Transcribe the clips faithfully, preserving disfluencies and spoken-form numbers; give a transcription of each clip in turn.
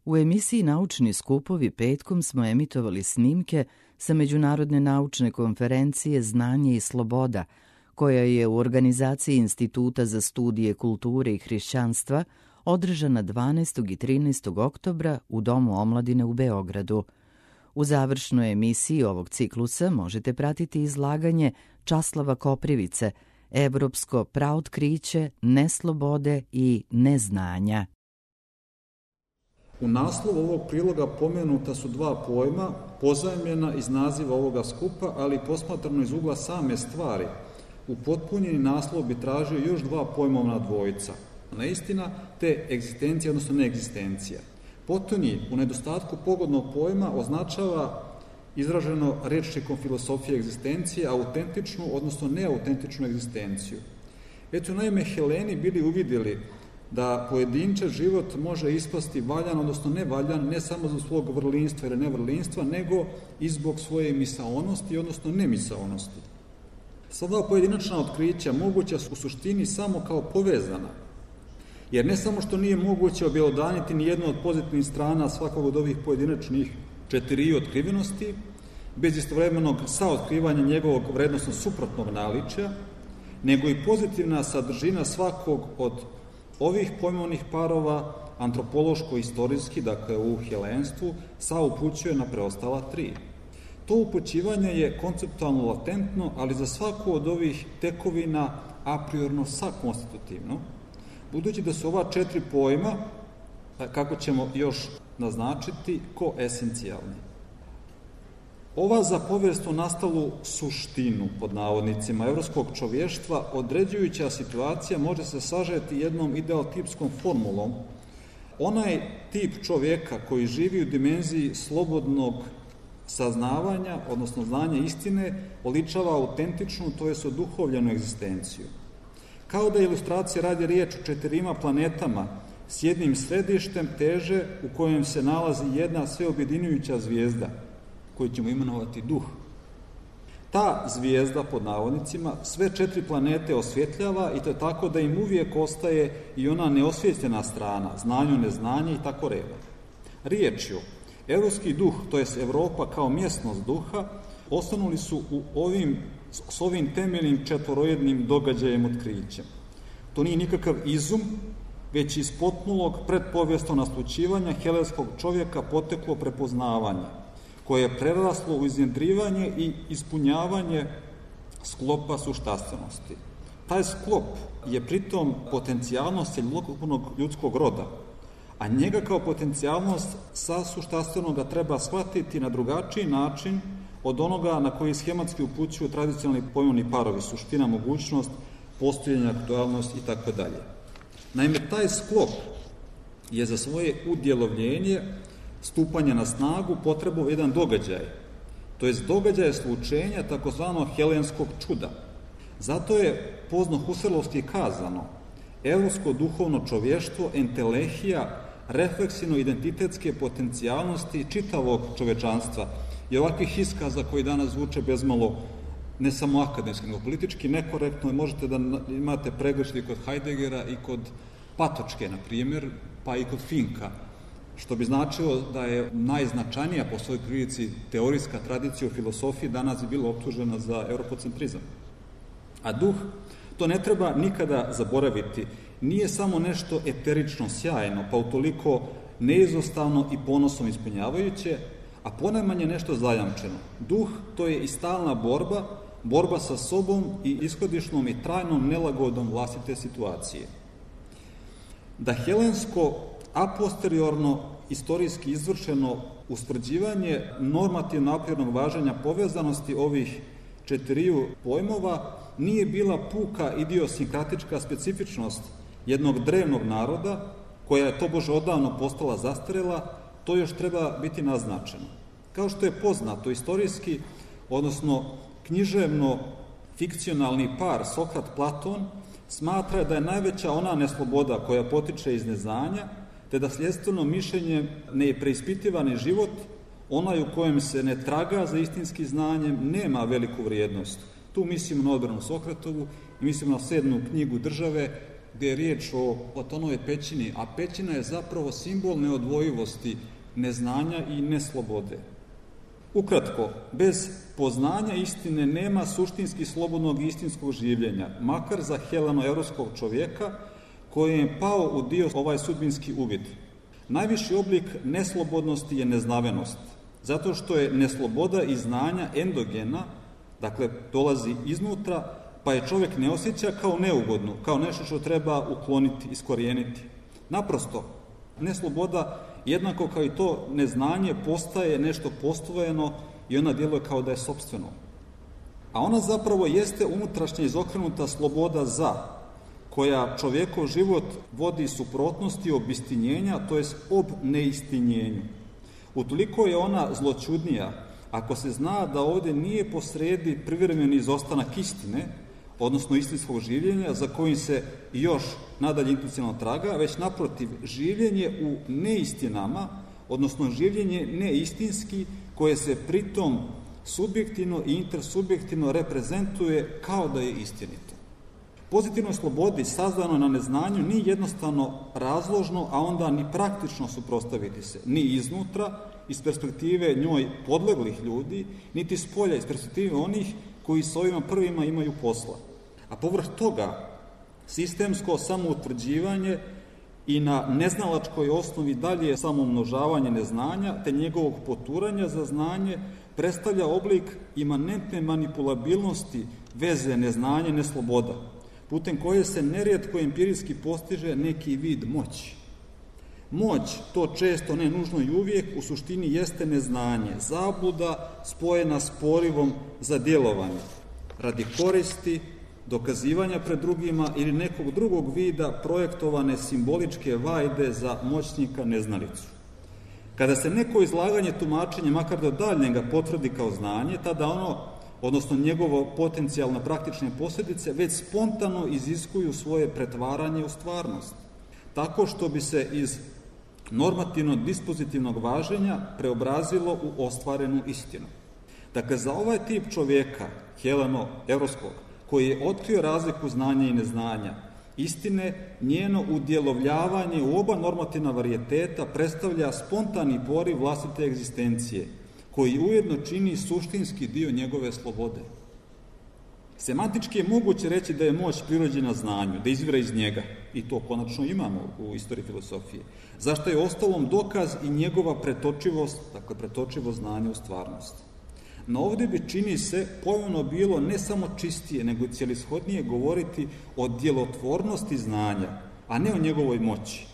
U emisiji Naučni skupovi petkom smo emitovali snimke sa Međunarodne naučne konferencije Znanje i sloboda, koja je u organizaciji Instituta za studije kulture i hrišćanstva održana dvanaestog i trinaestog oktobra u Domu omladine u Beogradu. U završnoj emisiji ovog ciklusa možete pratiti izlaganje Časlava Koprivice, Evropsko praotkriće, neslobode i neznanja. U naslovu ovog priloga pomenuta su dva pojma, pozajmljena iz naziva ovoga skupa, ali posmatrano iz ugla same stvari. Upotpunjeni naslov bi tražio još dva pojmovna dvojica. Neistina te egzistencija, odnosno neegzistencija. Potonji, u nedostatku pogodnog pojma, označava izraženo rečnikom filosofije egzistencije autentičnu, odnosno neautentičnu egzistenciju. Već su naime Heleni bili uvidjeli da pojedinčev život može ispasti valjan, odnosno nevaljan, ne samo zbog svog vrlinstva ili nevrlinstva, nego i zbog svoje misaonosti, odnosno nemisaonosti. Sada pojedinačna otkrića moguća su u suštini samo kao povezana, jer ne samo što nije moguće objelodaniti ni jednu od pozitivnih strana svakog od ovih pojedinačnih četiri otkrivenosti, bez istovremenog saotkrivanja njegovog vrednosno suprotnog naličja, nego i pozitivna sadržina svakog od ovih pojmovnih parova antropološko-istorijski, dakle u helenstvu, saupućuje na preostala tri. To upućivanje je konceptualno latentno, ali za svaku od ovih tekovina a priorno sakonstitutivno, budući da su ova četiri pojma, kako ćemo još naznačiti, koesencijalni. Ova za povijesno nastalu suštinu, pod navodnicima, evropskog čovještva određujuća situacija može se sažeti jednom idealtipskom formulom. Onaj tip čovjeka koji živi u dimenziji slobodnog saznavanja, odnosno znanja istine, oličava autentičnu, to jest oduhovljenu egzistenciju. Kao da ilustracija radi riječ o četirima planetama s jednim središtem teže u kojem se nalazi jedna sveobjedinjujuća zvijezda, koju ćemo imenovati duh. Ta zvijezda, pod navodnicima, sve četiri planete osvjetljava i to je tako da im uvijek ostaje i ona neosvjetljena strana, znanju, neznanje i tako redom. Riječju, evropski duh, to jest Evropa kao mjesnost duha, osnovili su u ovim, s ovim temeljnim četvorojednim događajem otkrićem. To nije nikakav izum, već iz potpulog predpovijesnog naslućivanja helenskog čovjeka poteklo prepoznavanje, koje je preraslo u iznjedrivanje i ispunjavanje sklopa suštastenosti. Taj sklop je pritom potencijalnost cjelokupnog ljudskog roda, a njega kao potencijalnost sa suštastenoga treba shvatiti na drugačiji način od onoga na koji schematski upućuju tradicionalni pojmovni parovi, suština, mogućnost, postojanje, aktualnost i tako dalje. Naime, taj sklop je za svoje udjelovljenje stupanja na snagu potrebao jedan događaj, to jest događaj slučenja takozvanog helenskog čuda. Zato je pozno Husserlovski kazano, evropsko duhovno čovještvo entelehija refleksivno-identitetske potencijalnosti čitavog čovečanstva i ovakvih iskaza koji danas zvuče bezmalo ne samo akademski, nego politički nekorektno, i možete da imate pregršti kod Heideggera i kod Patočke, na primjer, pa i kod Finka, što bi značilo da je najznačajnija po svojoj prilici teorijska tradicija u filosofiji danas je bila optužena za europocentrizam. A duh, to ne treba nikada zaboraviti, nije samo nešto eterično sjajno, pa utoliko neizostavno i ponosom ispunjavajuće, a ponajmanje nešto zajamčeno. Duh, to je i stalna borba, borba sa sobom i ishodišnom i trajnom nelagodom vlastite situacije. Da helensko a posteriorno istorijski izvršeno ustvrđivanje normativno aprirnog važenja povezanosti ovih četiriju pojmova nije bila puka idiosinkratička specifičnost jednog drevnog naroda, koja je tobože odavno postala zastarela, to još treba biti naznačeno. Kao što je poznato, istorijski, odnosno književno fikcionalni par Sokrat-Platon smatra da je najveća ona nesloboda koja potiče iz neznanja, te da sljedstveno mišljenje nepreispitivani život, onaj u kojem se ne traga za istinskim znanjem, nema veliku vrijednost. Tu mislimo na odbranu Sokratovu i mislimo na sedmu knjigu Države, gdje je riječ o Platonovoj pećini, a pećina je zapravo simbol neodvojivosti, neznanja i neslobode. Ukratko, bez poznanja istine nema suštinski slobodnog i istinskog življenja, makar za heleno-evropskog čovjeka koji je pao u dio ovaj sudbinski uvid. Najviši oblik neslobodnosti je neznavenost, zato što je nesloboda i znanja endogena, dakle dolazi iznutra, pa je čovjek ne osjeća kao neugodnu, kao nešto što treba ukloniti, iskorijeniti. Naprosto, nesloboda, jednako kao i to neznanje, postaje nešto postojeno i ona djeluje kao da je sopstveno. A ona zapravo jeste unutrašnja izokrenuta sloboda za, koja čovjekov život vodi suprotnosti obistinjenja, to jest ob neistinjenju. Utoliko je ona zloćudnija, ako se zna da ovdje nije posredi privremeni izostanak istine, odnosno istinskog življenja, za kojim se još nadalje intuicionalno traga, već naprotiv življenje u neistinama, odnosno življenje neistinski, koje se pritom subjektivno i intersubjektivno reprezentuje kao da je istinito. Pozitivnoj slobodi sazdano na neznanju nije jednostavno razložno, a onda ni praktično suprotstaviti se, ni iznutra, iz perspektive njoj podleglih ljudi, niti s polja, iz perspektive onih koji s ovima prvima imaju posla. A povrh toga, sistemsko samoutvrđivanje i na neznalačkoj osnovi dalje samomnožavanje neznanja, te njegovog poturanja za znanje, predstavlja oblik imanentne manipulabilnosti veze neznanje, nesloboda, putem koje se nerijetko empirijski postiže neki vid moći. Moć, to često, ne nužno i uvijek, u suštini jeste neznanje, zabluda spojena s porivom za djelovanje, radi koristi, dokazivanja pred drugima ili nekog drugog vida projektovane simboličke vajde za moćnika neznalicu. Kada se neko izlaganje tumačenja, makar do daljnjega, potvrdi kao znanje, tada ono, odnosno njegovo potencijalno praktične posljedice, već spontano iziskuju svoje pretvaranje u stvarnost, tako što bi se iz normativno-dispozitivnog važenja preobrazilo u ostvarenu istinu. Dakle, za ovaj tip čovjeka, heleno-evropskog, koji je otkrio razliku znanja i neznanja, istine, njeno udjelovljavanje u oba normativna varijeteta predstavlja spontani poriv vlastite egzistencije, koji ujedno čini suštinski dio njegove slobode. Semantički je moguće reći da je moć prirođena znanju, da izvira iz njega, i to konačno imamo u istoriji filosofije, zašto je ostalom dokaz i njegova pretočivost, dakle pretočivost znanja u stvarnost. No ovdje bi, čini se, pojmovno bilo ne samo čistije, nego cjelishodnije govoriti o djelotvornosti znanja, a ne o njegovoj moći.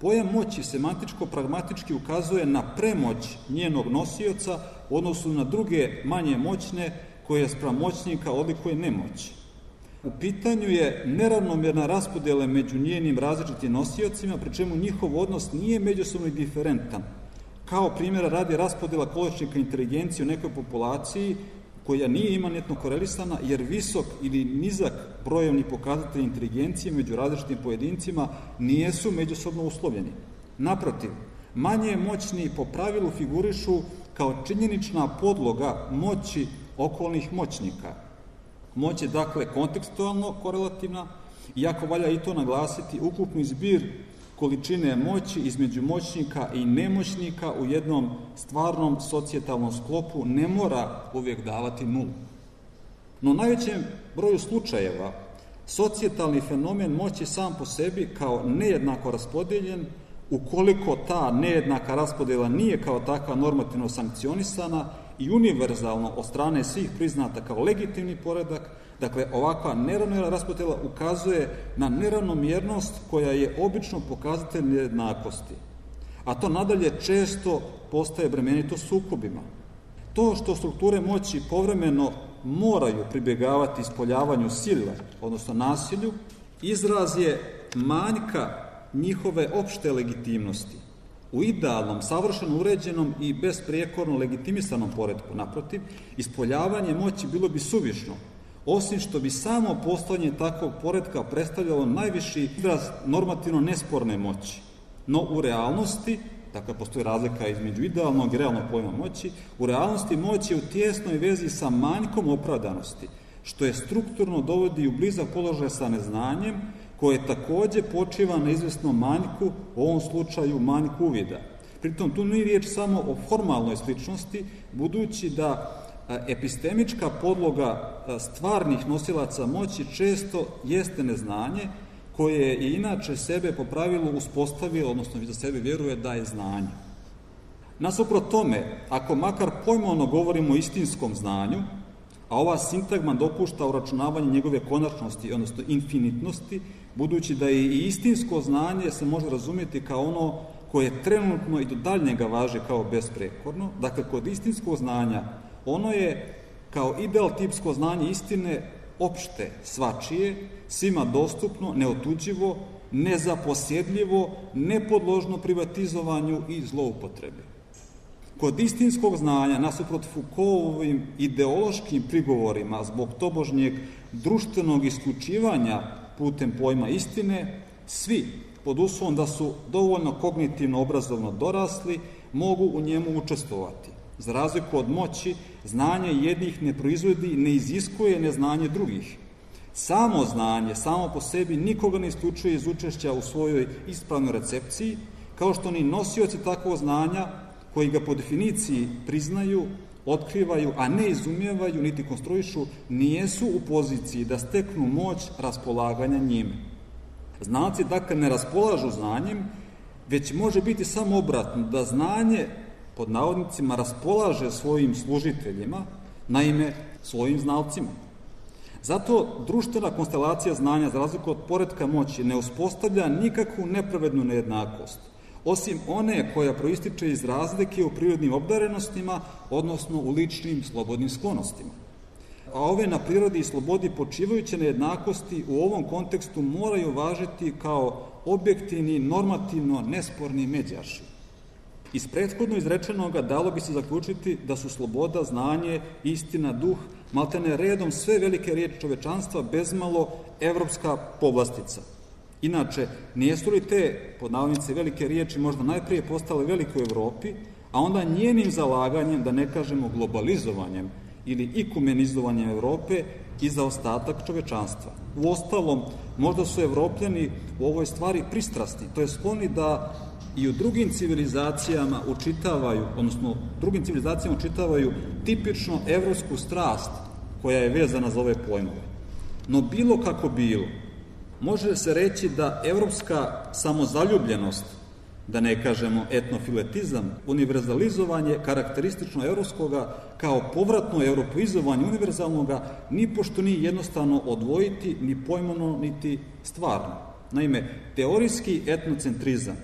Pojam moći semantičko-pragmatički ukazuje na premoć njenog nosioca u odnosu na druge manje moćne, koje spram moćnika odlikuje nemoć. U pitanju je neravnomjerna raspodjela među njenim različitim nosiocima, pri čemu njihov odnos nije međusobno indiferentan. Kao primjera radi raspodjela količnika inteligencije u nekoj populaciji koja nije imanentno korelisana, jer visok ili nizak brojevni pokazatelj inteligencije među različitim pojedincima nijesu međusobno uslovljeni. Naprotiv, manje moćni po pravilu figurišu kao činjenična podloga moći okolnih moćnika. Moć je dakle kontekstualno korelativna, iako valja i to naglasiti, ukupni zbir količine moći između moćnika i nemoćnika u jednom stvarnom socijetalnom sklopu ne mora uvijek davati nulu. No u najvećem broju slučajeva socijetalni fenomen moći sam po sebi kao nejednako raspodijeljen, ukoliko ta nejednaka raspodjela nije kao takva normativno sankcionisana i univerzalno od strane svih priznata kao legitimni poredak, dakle ovakva neravnomjerna raspodjela ukazuje na neravnomjernost koja je obično pokazatelj nejednakosti. A to nadalje često postaje bremenito sukobima. To što strukture moći povremeno moraju pribjegavati ispoljavanju sile, odnosno nasilju, izraz je manjka njihove opšte legitimnosti. U idealnom, savršeno uređenom i besprijekorno legitimisanom poretku, naprotiv, ispoljavanje moći bilo bi suvišno, osim što bi samo postojanje takvog poretka predstavljalo najviši izraz normativno nesporne moći. No u realnosti, dakle postoji razlika između idealnog i realnog pojma moći, u realnosti moć je u tijesnoj vezi sa manjkom opravdanosti, što je strukturno dovodi u blizak položaj sa neznanjem, koje takođe počiva na izvesnom manjku, u ovom slučaju manjku uvida. Pritom tu nije riječ samo o formalnoj sličnosti, budući da epistemička podloga stvarnih nosilaca moći često jeste neznanje, koje je inače sebe po pravilu uspostavilo, odnosno za sebe vjeruje da je znanje. Nasuprot tome, ako makar pojmovno govorimo o istinskom znanju, a ova sintagma dopušta uračunavanje njegove konačnosti, odnosno infinitnosti, budući da je i istinsko znanje se može razumjeti kao ono koje trenutno i do daljnjega važi kao besprekorno. Dakle, kod istinskog znanja ono je kao ideal tipsko znanje istine opšte, svačije, svima dostupno, neotuđivo, nezaposjedljivo, nepodložno privatizovanju i zloupotrebi. Kod istinskog znanja, nasuprot Foucaultovim ideološkim prigovorima zbog tobožnjeg društvenog isključivanja putem pojma istine, svi, pod uslovom da su dovoljno kognitivno obrazovno dorasli, mogu u njemu učestvovati. Za razliku od moći, znanje jednih ne proizvodi i ne iziskuje neznanje drugih. Samo znanje, samo po sebi, nikoga ne isključuje iz učešća u svojoj ispravnoj recepciji, kao što ni nosioci takvog znanja, koji ga po definiciji priznaju, otkrivaju, a ne izumijevaju, niti konstruišu, nijesu u poziciji da steknu moć raspolaganja njime. Znalci, dakle, ne raspolažu znanjem, već može biti samo obratno, da znanje, pod navodnicima, raspolaže svojim služiteljima, naime, svojim znalcima. Zato društvena konstelacija znanja, za razliku od poretka moći, ne uspostavlja nikakvu nepravednu nejednakost, osim one koja proističe iz razlike u prirodnim obdarenostima, odnosno u ličnim slobodnim sklonostima. A ove na prirodi i slobodi počivajuće nejednakosti u ovom kontekstu moraju važiti kao objektivni, normativno nesporni međaši. Iz prethodno izrečenoga dalo bi se zaključiti da su sloboda, znanje, istina, duh, maltene redom sve velike riječi čovečanstva bezmalo evropska povlastica. Inače, nijesu li te, pod navodnice, velike riječi možda najprije postale velike u Evropi, a onda njenim zalaganjem, da ne kažemo globalizovanjem ili ikumenizovanjem Evrope i za ostatak čovečanstva. Uostalom, možda su Evropljani u ovoj stvari pristrasni, to je skloni da i u drugim civilizacijama učitavaju, odnosno drugim civilizacijama učitavaju tipično evropsku strast koja je vezana za ove pojmove. No bilo kako bilo, može se reći da evropska samozaljubljenost, da ne kažemo etnofiletizam, univerzalizovanje karakteristično evropskoga kao povratno europeizovanje univerzalnoga, ni pošto nije jednostavno odvojiti ni pojmovno, niti stvarno. Naime, teorijski etnocentrizam,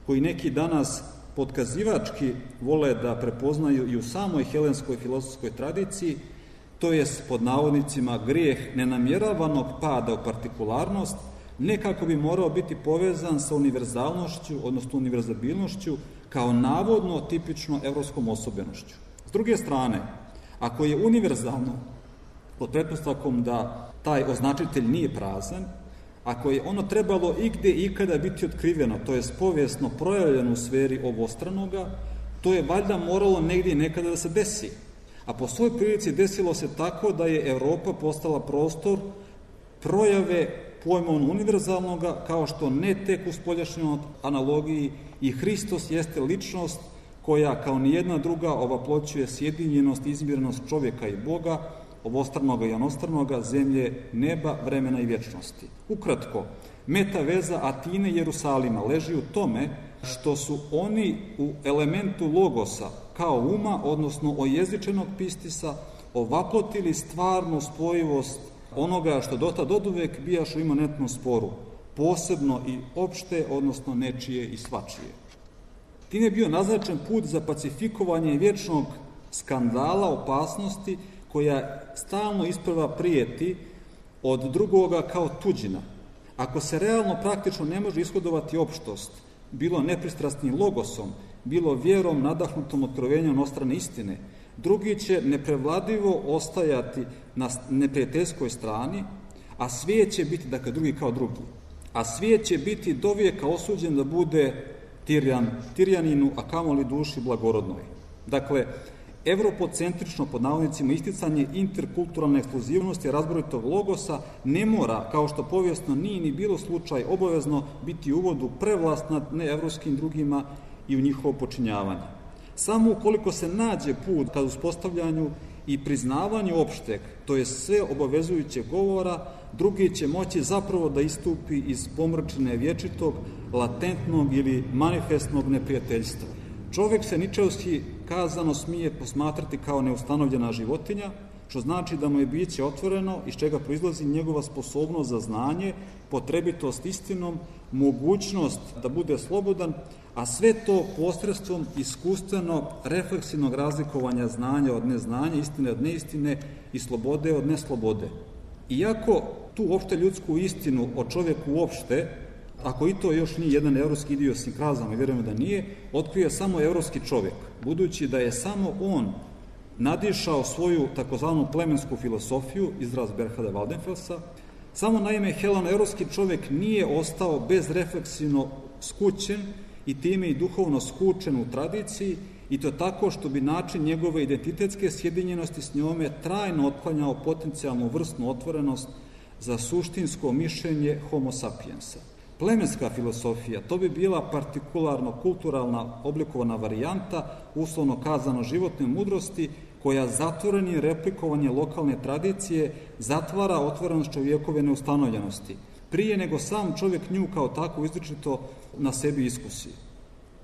koji neki danas potkazivački vole da prepoznaju i u samoj helenskoj filozofskoj tradiciji, to je pod navodnicima grijeh nenamjeravanog pada u partikularnost, nekako bi morao biti povezan sa univerzalnošću, odnosno univerzabilnošću, kao navodno tipično evropskom osobenošću. S druge strane, ako je univerzalno, pod pretpostavkom da taj označitelj nije prazan, ako je ono trebalo igde i ikada biti otkriveno, to je povijesno projavljeno u sferi obostranoga, to je valjda moralo negdje i nekada da se desi. A po svoj prilici desilo se tako da je Evropa postala prostor projave pojmovno univerzalnoga, kao što ne tek u spoljašnjoj analogiji i Hristos jeste ličnost koja kao nijedna druga ovaploćuje sjedinjenost i izmirnost čovjeka i Boga, obostranoga i onostranoga, zemlje, neba, vremena i vječnosti. Ukratko, meta veza Atine i Jerusalima leži u tome što su oni u elementu logosa kao uma, odnosno ojezičenog pistisa, ovaplotili stvarnu spojivost onoga što dotad oduvek bijaš u imanentnom sporu, posebno i opšte, odnosno nečije i svačije. Time je bio naznačen put za pacifikovanje vječnog skandala, opasnosti, koja stalno isprva prijeti od drugoga kao tuđina. Ako se realno praktično ne može ishodovati opštost, bilo nepristrasnim logosom, bilo vjerom nadahnutom otkrovenjem ostrane istine, drugi će neprevladivo ostajati na neprijateljskoj strani, a svijet će biti, dakle drugi kao drugi, a svijet će biti dovijeka osuđen da bude tirjan, tirjaninu, a kamoli duši blagorodnoj. Dakle, evropocentrično pod navodnicima isticanje interkulturalne ekskluzivnosti razboritog logosa ne mora, kao što povijesno nije ni bilo slučaj, obavezno biti u uvodu prevlast nad neevropskim drugima i u njihovo počinjavanje. Samo ukoliko se nađe put ka uspostavljanju i priznavanju opšteg, to je sve obavezujuće govora, drugi će moći zapravo da istupi iz pomrčine vječitog, latentnog ili manifestnog neprijateljstva. Čovjek se ničevski kazano smije posmatrati kao neustanovljena životinja, što znači da mu je biće otvoreno, iz čega proizlazi njegova sposobnost za znanje, potrebitost istinom, mogućnost da bude slobodan, a sve to posredstvom iskustveno refleksivnog razlikovanja znanja od neznanja, istine od neistine i slobode od neslobode. Iako tu opšte ljudsku istinu o čovjeku uopšte, ako i to još nije jedan evropski idiosinkrazam, i vjerujemo da nije, otkrije samo evropski čovjek, budući da je samo on nadišao svoju takozvanu plemensku filosofiju, izraz Berhada Waldenfelsa. Samo naime heleno-evropski čovjek nije ostao bezrefleksivno skućen i time i duhovno skučen u tradiciji, i to tako što bi način njegove identitetske sjedinjenosti s njome trajno otklanjao potencijalnu vrstnu otvorenost za suštinsko mišljenje homo sapiensa. Plemenska filosofija, to bi bila partikularno kulturalna oblikovana varijanta, uslovno kazano životne mudrosti, koja zatvorenim replikovanjem lokalne tradicije zatvara otvorenost čovjekove neustanovljenosti, prije nego sam čovjek nju kao tako izričito na sebi iskusi.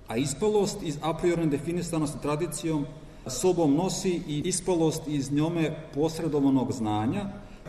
A ispalost iz a priorne definisanosti tradicijom sobom nosi i ispalost iz njome posredovanog znanja,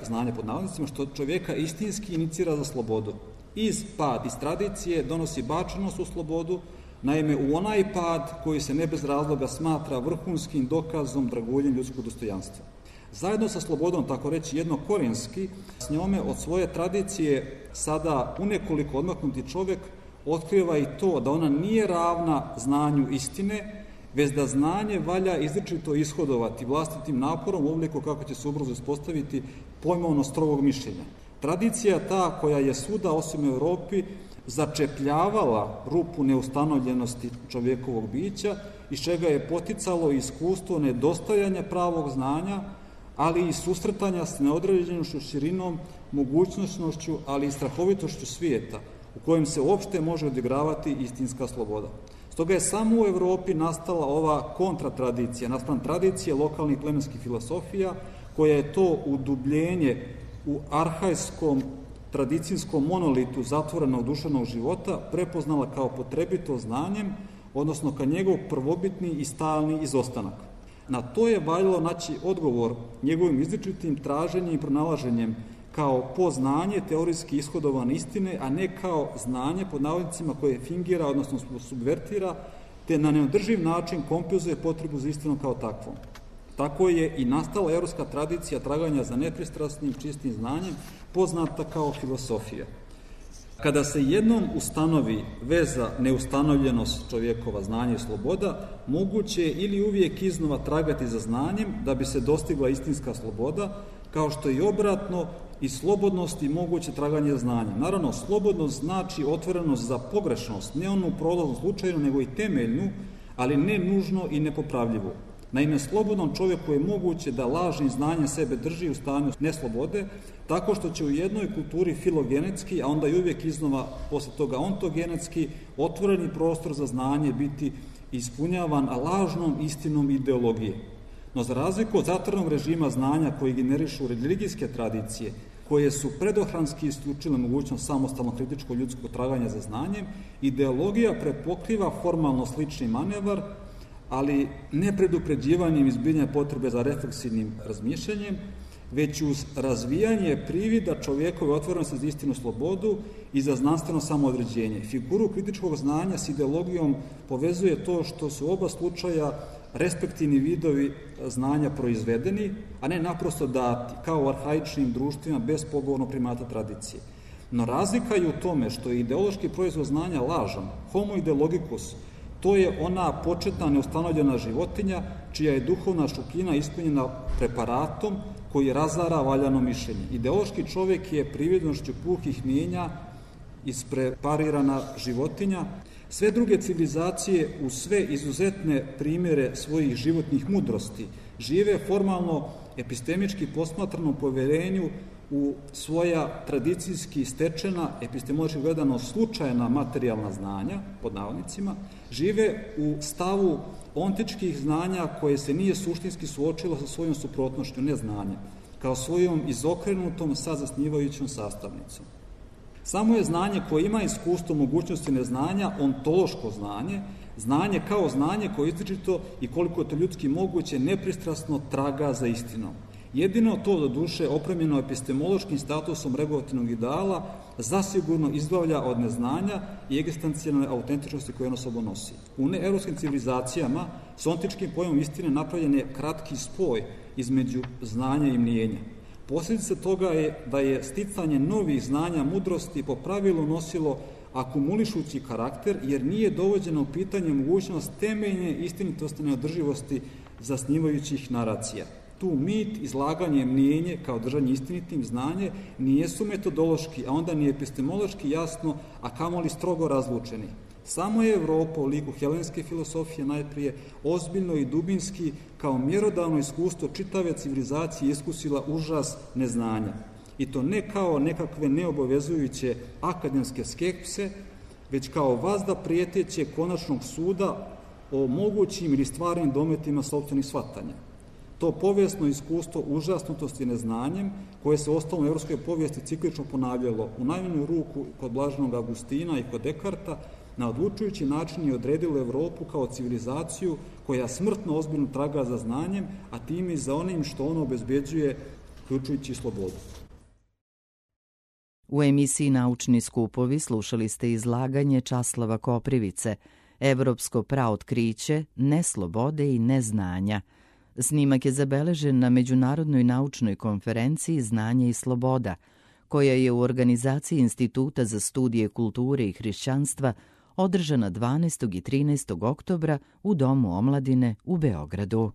znanja pod navodnicima, što čovjeka istinski inicira za slobodu. Iz pad iz tradicije donosi bačenost u slobodu, naime u onaj pad koji se ne bez razloga smatra vrhunskim dokazom draguljenja ljudskog dostojanstva. Zajedno sa slobodom, tako reći jednokorijenski, s njome od svoje tradicije sada unekoliko odmaknuti čovjek otkriva i to da ona nije ravna znanju istine, već da znanje valja izričito ishodovati vlastitim naporom u obliku kako će se ubrzo ispostaviti pojmovno strogog mišljenja. Tradicija ta koja je svuda osim u Europi začepljavala rupu neustanovljenosti čovjekovog bića, iz čega je poticalo iskustvo nedostajanja pravog znanja, ali i susretanja s neodređenošću, širinom, mogućnošću, ali i strahovitošću svijeta, u kojem se uopšte može odigravati istinska sloboda. Stoga je samo u Europi nastala ova kontratradicija, naspram tradicije lokalnih plemenskih filosofija, koja je to udubljenje u arhajskom tradicijskom monolitu zatvorenog duševnog života prepoznala kao potrebito znanjem, odnosno kao njegov prvobitni i stalni izostanak. Na to je valjalo naći odgovor njegovim izričitim traženjem i pronalaženjem kao poznanje teorijski ishodovan istine, a ne kao znanje pod navodnicima koje fingira, odnosno subvertira, te na neodrživ način kompenzuje potrebu za istinom kao takvom. Tako je i nastala evropska tradicija traganja za nepristrasnim, čistim znanjem, poznata kao filosofija. Kada se jednom ustanovi veza neustanovljenost čovjekova znanja i sloboda, moguće je ili uvijek iznova tragati za znanjem da bi se dostigla istinska sloboda, kao što i obratno i slobodnost i moguće traganje za znanjem. Naravno, slobodnost znači otvorenost za pogrešnost, ne onu prolaznu slučajnu, nego i temeljnu, ali ne nužno i nepopravljivu. Naime, slobodnom čovjeku je moguće da lažnim znanjem sebe drži u stanju neslobode, tako što će u jednoj kulturi filogenetski, a onda i uvijek iznova posle toga ontogenetski, otvoreni prostor za znanje biti ispunjavan lažnom istinom ideologije. No za razliku od zatvorenog režima znanja koji generišu religijske tradicije, koje su predohranski isključile mogućnost samostalnog kritičkog ljudskog traganja za znanjem, ideologija prepokriva formalno slični manevar, ali ne predupređivanjem izbiljenja potrebe za refleksivnim razmišljanjem, već uz razvijanje privida čovjekove otvorenosti za istinu slobodu i za znanstveno samoodređenje. Figuru kritičkog znanja s ideologijom povezuje to što su oba slučaja respektivni vidovi znanja proizvedeni, a ne naprosto dati, kao u arhaičnim društvima bez pogovornog primata tradicije. No razlika je u tome što je ideološki proizvod znanja lažan, homo ideologicus, to je ona početna neustanovljena životinja čija je duhovna šupljina ispunjena preparatom koji razara valjano mišljenje. Ideološki čovjek je prividnošću puhih mijenja ispreparirana životinja, Sve druge civilizacije u sve izuzetne primjere svojih životnih mudrosti žive formalno epistemički posmatrano poverenju u svoja tradicijski stečena, epistemološki gledano slučajna materijalna znanja, pod navodnicima, žive u stavu ontičkih znanja koje se nije suštinski suočilo sa svojom suprotnošću neznanja, kao svojom izokrenutom sazasnivajućom sastavnicom. Samo je znanje koje ima iskustvo mogućnosti neznanja ontološko znanje, znanje kao znanje koje izričito i koliko je to ljudski moguće nepristrasno traga za istinom. Jedino to do duše opremljeno epistemološkim statusom regulativnog ideala zasigurno izbavlja od neznanja i egzistencijalne autentičnosti koje ono sobom nosi. U neevropskim civilizacijama s ontičkim pojmom istine napravljen je kratki spoj između znanja i mnijenja. Posljedica toga je da je sticanje novih znanja mudrosti po pravilu nosilo akumulišući karakter, jer nije dovođeno u pitanje mogućnost temeljne istinitosti neodrživosti zasnivajućih naracija. Tu mit, izlaganje, mnijenje kao držanje istinitim znanje nijesu metodološki, a onda ni epistemološki jasno, a kamoli strogo razlučeni. Samo je Evropa u liku helenske filosofije najprije ozbiljno i dubinski kao mjerodavno iskustvo čitave civilizacije iskusila užas neznanja. I to ne kao nekakve neobavezujuće akademske skepse, već kao vazda prijeteće konačnog suda o mogućim ili stvarnim dometima sopstvenih shvatanja. To povijesno iskustvo užasnutosti neznanjem, koje se ostalo u evropskoj povijesti ciklično ponavljalo u najmanju ruku kod blaženog Augustina i kod Dekarta, na odlučujući način je odredilo Evropu kao civilizaciju koja smrtno ozbiljno traga za znanjem, a time i za onim što ono obezbeđuje, uključujući slobodu. U emisiji Naučni skupovi slušali ste izlaganje Časlava Koprivice, Evropsko praotkriće, neslobode i neznanja. Snimak je zabeležen na Međunarodnoj naučnoj konferenciji Znanje i sloboda, koja je u organizaciji Instituta za studije kulture i hrišćanstva održana dvanaestog i trinaestog oktobra u Domu omladine u Beogradu.